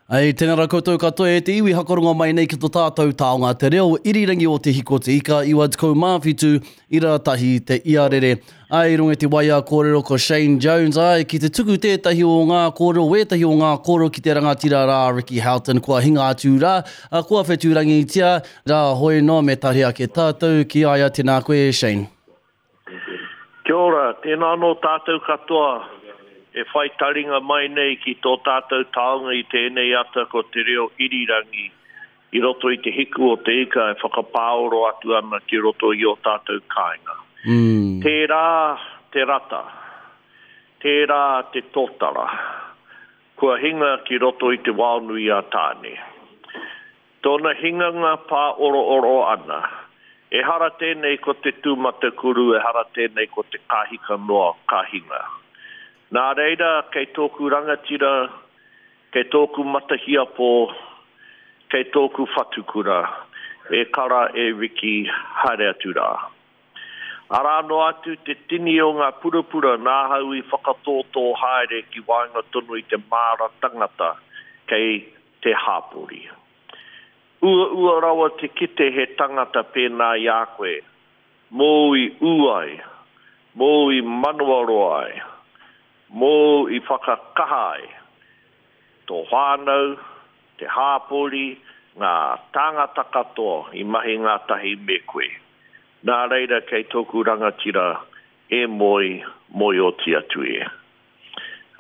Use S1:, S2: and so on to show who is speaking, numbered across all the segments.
S1: Ei, tēnā rā koutou katoa e te iwi hakarongo mai nei ki to tātou taonga te reo irirangi o Te Hiko Te Ika 97 ira tahi te iarere. Ai, i runga i te waea kōrero ko Shane Jones, ai, ki te tuku tētahi o ngā kōrero, wētahi o ngā kōrero ki te rangatira rā Ricky Houghton kua hinga atu rā, kua whetūrangitia rā hoi noa me tahi ake tātou ki a ia tēnā koe e Shane.
S2: Kia ora, tēnā anō tātou katoa e whai taringa mai nei ki tō tātou taonga i tēnei ata ko te reo irirangi i roto i te hiku o te ika e whakapāoro atu ana ki roto i ō tātou kāinga. Tērā te rata, tērā te tōtara, kua hinga ki roto i te waonui a Tāne. Tōna hinganga pāorooro ana. Ehara tēnei ko te tūmatakuru, ehara tēnei ko te kāhika noa ka hinga. Nā reira, kei tōku rangatira, kei tōku matahiapō, kei tōku whatukura, e kara e Riki, haere atu rā. Arā noa atu te tini o ngā purapura nāhau i whakatōtō haere ki waenga tonu i te māra tangata kei te hāpori. Uaua rawa te kite he tangata pēnā i a koe, mōu i ū ai, mōu i manawaroa ai, mōu i whakakaha ai tō whānau, te hāpori, ngā tāngata katoa i mahi ngātahi me koe. Nā reira kei tōku rangatira e moe, moe oti atu e.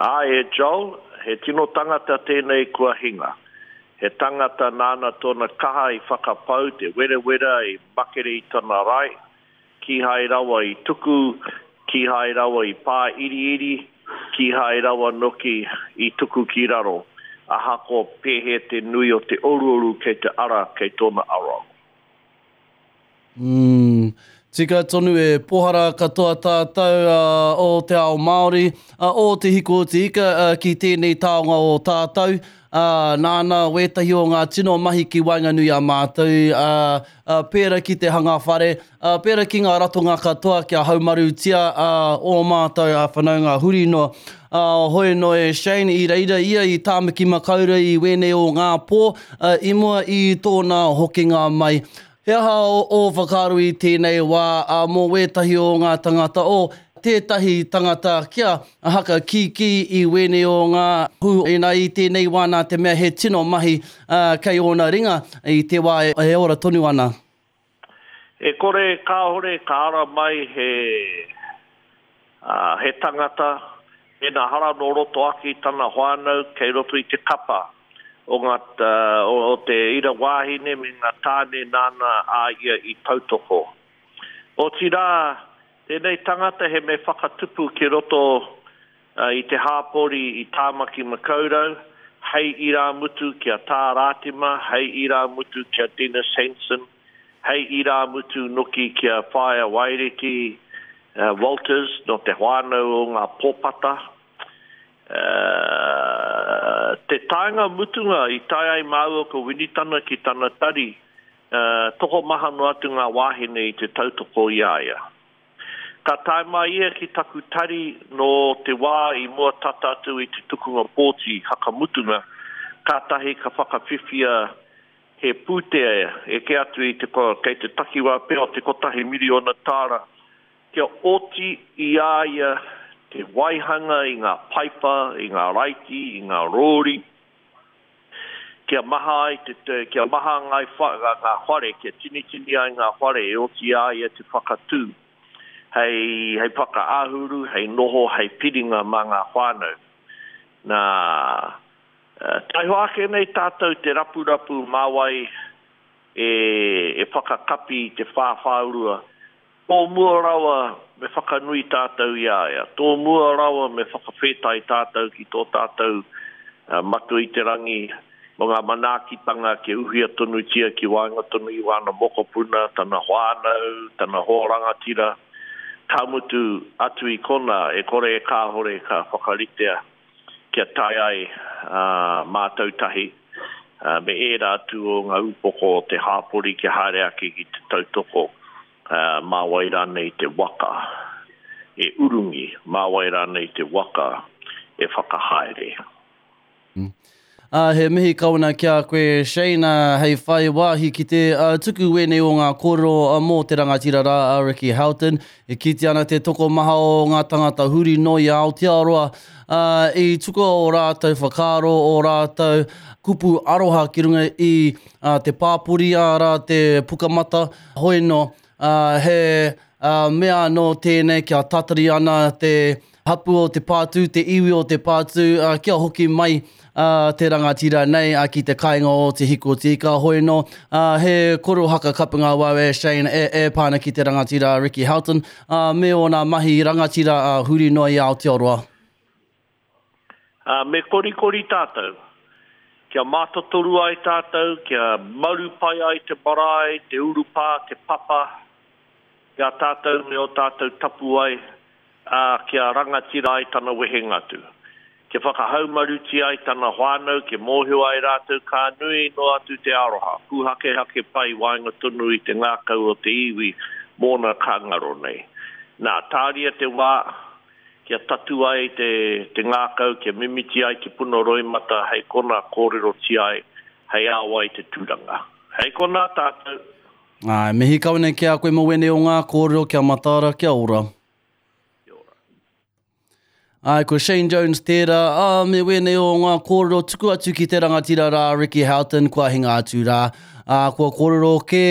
S2: Āe e Joel, he tino tangata tēnei kua hinga. He tangata nāna tōna kaha i whakapau te werewera i makere i tana rae, kīhai rawa i tuku, kīhai rawa i pāiriiri, kīhai rawa noki i tuku ki raro, ahakoa pēhea te nui o te oruoru kei te ara kei tōna aroaro.
S1: Umm, tika tonu e pohara katoa tātou o te ao Māori, o Te Hiko o Te Ika ki tēnei taonga o tātou, nāna wētahi o ngā tino mahi ki waenganui a mātou, pērā ki te hanga whare, pērā ki ngā ratonga katoa kia haumarutia ō mātou whanaunga huri noa. Hoi noa e Shane, i reira ia i Tāmaki Makaurau i wēnei o ngā pō, i mua i tōna hokinga mai. He aha ō whakaaro i tēnei wā mō wētahi o ngā tangata o tētahi tangata kia haka kīkī i wēnei o ngā hū ina i tēnei wā nā te mea he tino mahi kei ōna ringa i te wā e ora tonu ana?
S2: E kore, kāore ka ara mai he, he tangata, mēnā hara nō roto ake i tana whānau kei roto i te kapa o ngā, o te ira wāhine me ngā tāne nāna a ia i tautoko. Otirā, tēnei tangata he me whakatupu ki roto i te hāpori i Tāmaki Makaurau, hei irāmutu ki a Tā Rātima, hei irāmutu ki a Dennis Hansen, hei irāmutu noki ki a Whaea Waireti Walters nō te whānau o ngā Pōpata. Te taenga mutunga i tae ai māua ko Winitana ki tana tari, tokomaha noa atu ngā wāhine i te tautoko i a ia. Ka tae mai ia ki taku tari nō te wā i mua tata atu i te tukunga pōti hakamutunga, kātahi ka whakawhiwhia he pūtea eke atu i te, kei te takiwā pea o te kotahi miriona tāra Kia oti i a ia te waihanga i ngā paipa, i ngā raiti, i ngā rōri, kia maha ai te, kia maha ngā whare, kia tinitini ai ngā whare e oti i a ia te whakatū hei, hei whakaahuru, hei noho, hei piringa mā ngā whānau. Nā, taihoa ake nei tātou te rapurapu mā wai e, e whakakapi i te whāwhāurua Tō mua rawa me whakanui tātou i a ia. Tō mua rawa me whakawhetai tātou ki tō tātou Matua i te Rangi mō ngā manaakitanga kia uhia tonutia ki waenga tonu i wāna mokopuna, tana whānau, tana hoa rangatira. Ka mutu, atu i konā, e kore e kāhore ka whakaritea kia tae ai mātou tahi me ērā atu o ngā upoko o te hāpori kia haere ake ki te tautoko mā wai rānei te waka e urungi, mā wai rānei te waka e whakahaere.
S1: He mihi kau ana ki a koe Shane, hei whai wāhi ki te tuku wēnei o ngā kōrero mō te rangatira rā a Ricky Houghton. E kitea ana te tokomaha o ngā tangata huri noa i Aotearoa i tukua ō rātou whakaaro, ō rātou kupu aroha ki runga i te pāpori, arā te pukamata, hoi nō, he mea anō tēnei kia tatari ana te Hapu o Te Pātū, te iwi o Te Pātū, kia hoki mai te rangatira nei ki te kāinga o Te Hikotīka. Hoi nō, he korohaka kapunga wau e Shane e pā ana ki te rangatira a Ricky Houghton me ōna mahi rangatira huri noa i Aotearoa.
S2: Me korikori tātou, kia mātotoru ai tātou, kia maru pai ai te marae, te urupā, te papa, ki a tātou me ō tātou tapuwae, ā, kia rangatira ai tana wehenga atu. Kia whakahaumarutia ai tana whānau, kia mōhio ai rātou ka nui noa atu te aroha, pūhakehake pai waenga tonu i te ngākau o te iwi mōna ka ngaro nei. Nā, tāria te wā, kia tatū ai te, te ngākau, kia mimiti ai te puna roimata hei konā kōrerotia ai, hei ao ai te tūranga. Hei konā tātou!
S1: Āe, mihi kau nei ki a koe mō wēnei o ngā kōrero, kia mataara, kia ora.
S2: Kia ora.
S1: Āe, ko Shane Jones tērā, ā, me wēnei o ngā kōrero tuku atu ki te rangatira rā, Ricky Houghton, kua hinga atu rā. Ā, kua kōrero kē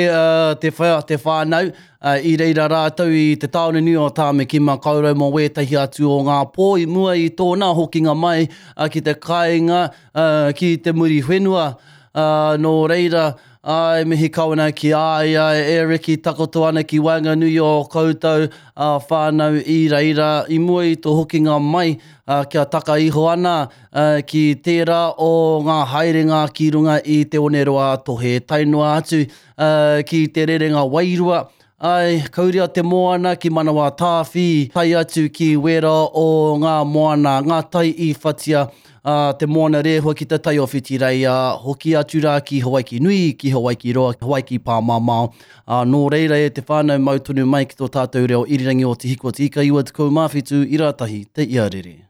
S1: te, te whānau, ā, i reira rātou i te tāone nui o Tāmaki Makaurau mō wētahi atu o ngā pō i mua i tōna hokinga mai ki te kāinga, ki te Muriwhenua. Ā, nō reira, ā, e mihi kau ana ki a ia, e Ricky, takoto ana ki waenganui o koutou, ā, whānau i reira, i mua i tō hokinga mai, ā, kia taka iho ana, ā, ki tērā o ngā haerenga ki runga i Te Oneroa-a-Tohe, tae noa atu, ā, ki te rerenga wairua, Āe, kauria te moana ki Manawatāwhi, tae atu ki wērā o ngā moana, ngā tai i whatia, ā, te moana rēhua ki te tai o Whitireia, hoki atu rā ki Hawaiki nui, ki Hawaiki roa, Hawaiki pāmamao. Ā, nō reira e te whānau mau tonu mai ki tō tātou reo irirangi o Te Hiku o Te Ika 97 i rātahi te iarere.